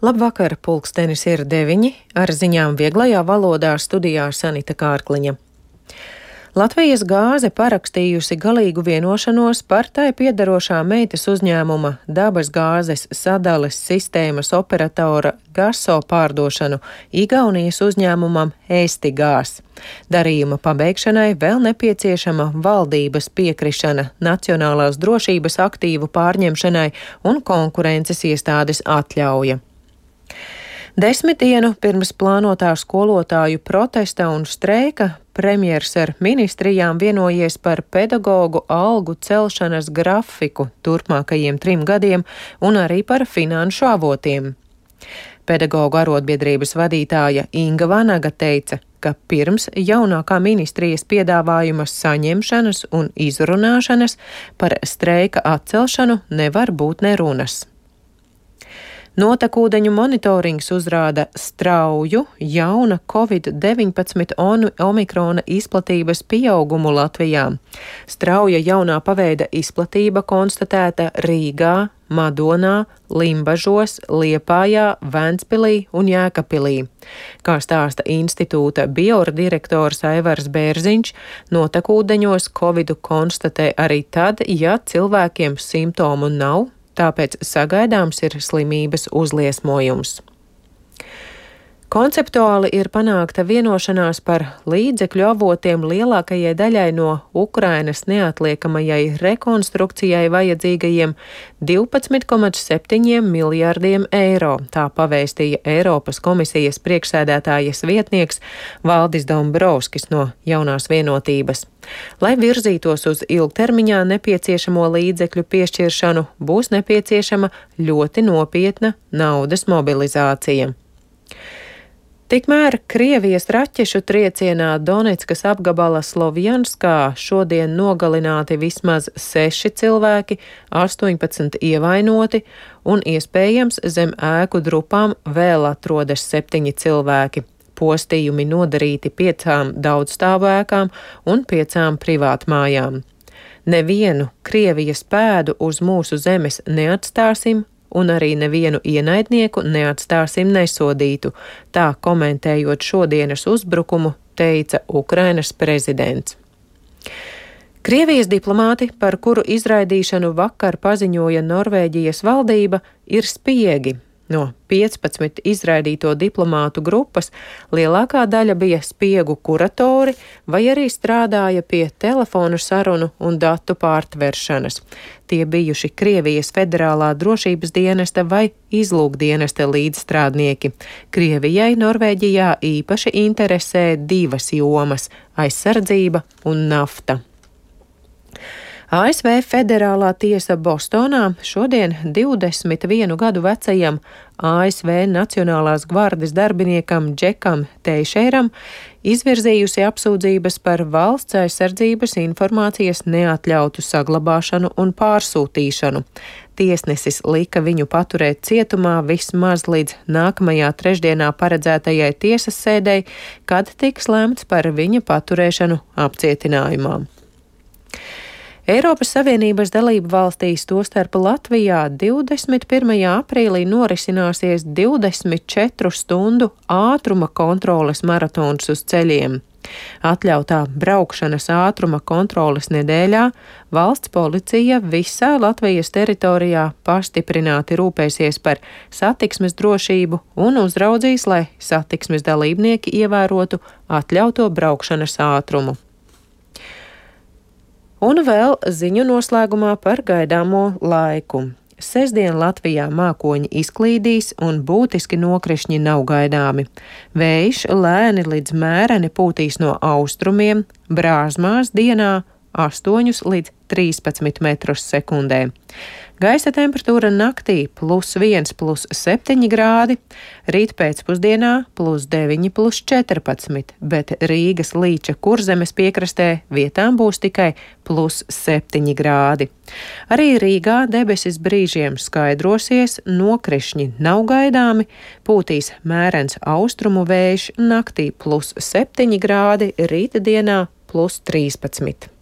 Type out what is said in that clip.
Labvakar, pulkstenis ir 9, ar ziņām vieglajā valodā studijā Sanita Kārkliņa. Latvijas gāze parakstījusi galīgu vienošanos par tai piederošā meitas uzņēmuma dabas gāzes sadales sistēmas operatora Gaso pārdošanu Igaunijas uzņēmumam Estigās. Darījuma pabeigšanai vēl nepieciešama valdības piekrišana, nacionālās drošības aktīvu pārņemšanai un konkurences iestādes atļauja. 10 dienu pirms plānotā skolotāju protesta un streika premjers ar ministrijām vienojies par pedagogu algu celšanas grafiku turpmākajiem 3 gadiem un arī par finanšu avotiem. Pedagogu arotbiedrības vadītāja Inga Vanaga teica, ka pirms jaunākā ministrijas piedāvājuma saņemšanas un izrunāšanas par streika atcelšanu nevar būt nerunas. Notekūdeņu monitorings uzrāda strauju jauna Covid-19 omikrona izplatības pieaugumu Latvijā. Strauja jaunā paveida izplatība konstatēta Rīgā, Madonā, Limbažos, Liepājā, Ventspilī un Jēkabpilī. Kā stāsta institūta biordirektors Aivars Bērziņš, notekūdeņos Covidu konstatē arī tad, ja cilvēkiem simptomu nav, tāpēc sagaidāms ir slimības uzliesmojums. Konceptuāli ir panākta vienošanās par līdzekļu avotiem lielākajai daļai no Ukrainas neatliekamajai rekonstrukcijai vajadzīgajiem 12,7 miljardiem eiro, tā pavēstīja Eiropas komisijas priekšsēdētājas vietnieks Valdis Dombrovskis no Jaunās vienotības. Lai virzītos uz ilgtermiņā nepieciešamo līdzekļu piešķiršanu, būs nepieciešama ļoti nopietna naudas mobilizācija. Tikmēr Krievijas raķešu triecienā Doneckas apgabala Slovjanskā šodien nogalināti vismaz 6 cilvēki, 18 ievainoti un iespējams zem ēku drupām vēl atrodas 7 cilvēki. Postījumi nodarīti 5 daudzstāvu ēkām un 5 privātmājām. Nevienu Krievijas pēdu uz mūsu zemes neatstāsim, un arī nevienu ienaidnieku neatstāsim nesodītu, tā komentējot šodienas uzbrukumu, teica Ukrainas prezidents. Krievijas diplomāti, par kuru izraidīšanu vakar paziņoja Norvēģijas valdība, ir spiegi. No 15 izraidīto diplomātu grupas lielākā daļa bija spiegu kuratori vai arī strādāja pie telefonu sarunu un datu pārtveršanas. Tie bijuši Krievijas federālā drošības dienesta vai izlūkdienesta līdzstrādnieki. Krievijai Norvēģijā īpaši interesē 2 jomas - aizsardzība un nafta. ASV Federālā tiesa Bostonā šodien 21 gadu vecajam ASV Nacionālās gvardes darbiniekam Džekam Teišeiram izvirzījusi apsūdzības par valsts aizsardzības informācijas neatļautu saglabāšanu un pārsūtīšanu. Tiesnesis lika viņu paturēt cietumā vismaz līdz nākamajā trešdienā paredzētajai tiesas sēdei, kad tiks lemts par viņa paturēšanu apcietinājumā. Eiropas Savienības dalību valstīs, tostarp Latvijā, 21. aprīlī norisināsies 24 stundu ātruma kontroles maratons uz ceļiem. Atļautā braukšanas ātruma kontroles nedēļā valsts policija visā Latvijas teritorijā pastiprināti rūpēsies par satiksmes drošību un uzraudzīs, lai satiksmes dalībnieki ievērotu atļauto braukšanas ātrumu. Un vēl ziņu noslēgumā par gaidāmo laiku. Sestdien Latvijā mākoņi izklīdīs un būtiski nokrišņi nav gaidāmi. Vējš lēni līdz mēreni pūtīs no austrumiem, Brāzmās dienā 8 līdz 13 metrus sekundē. Gaisa temperatūra naktī +1, +7 grādi, rīt pēcpusdienā +9, +14, bet Rīgas Līča Kurzemes piekrastē vietām būs tikai +7 grādi. Arī Rīgā debesis brīžiem skaidrosies, nokrišņi nav gaidāmi, pūtīs mērens austrumu vējš, naktī +7 grādi, rīta dienā +13.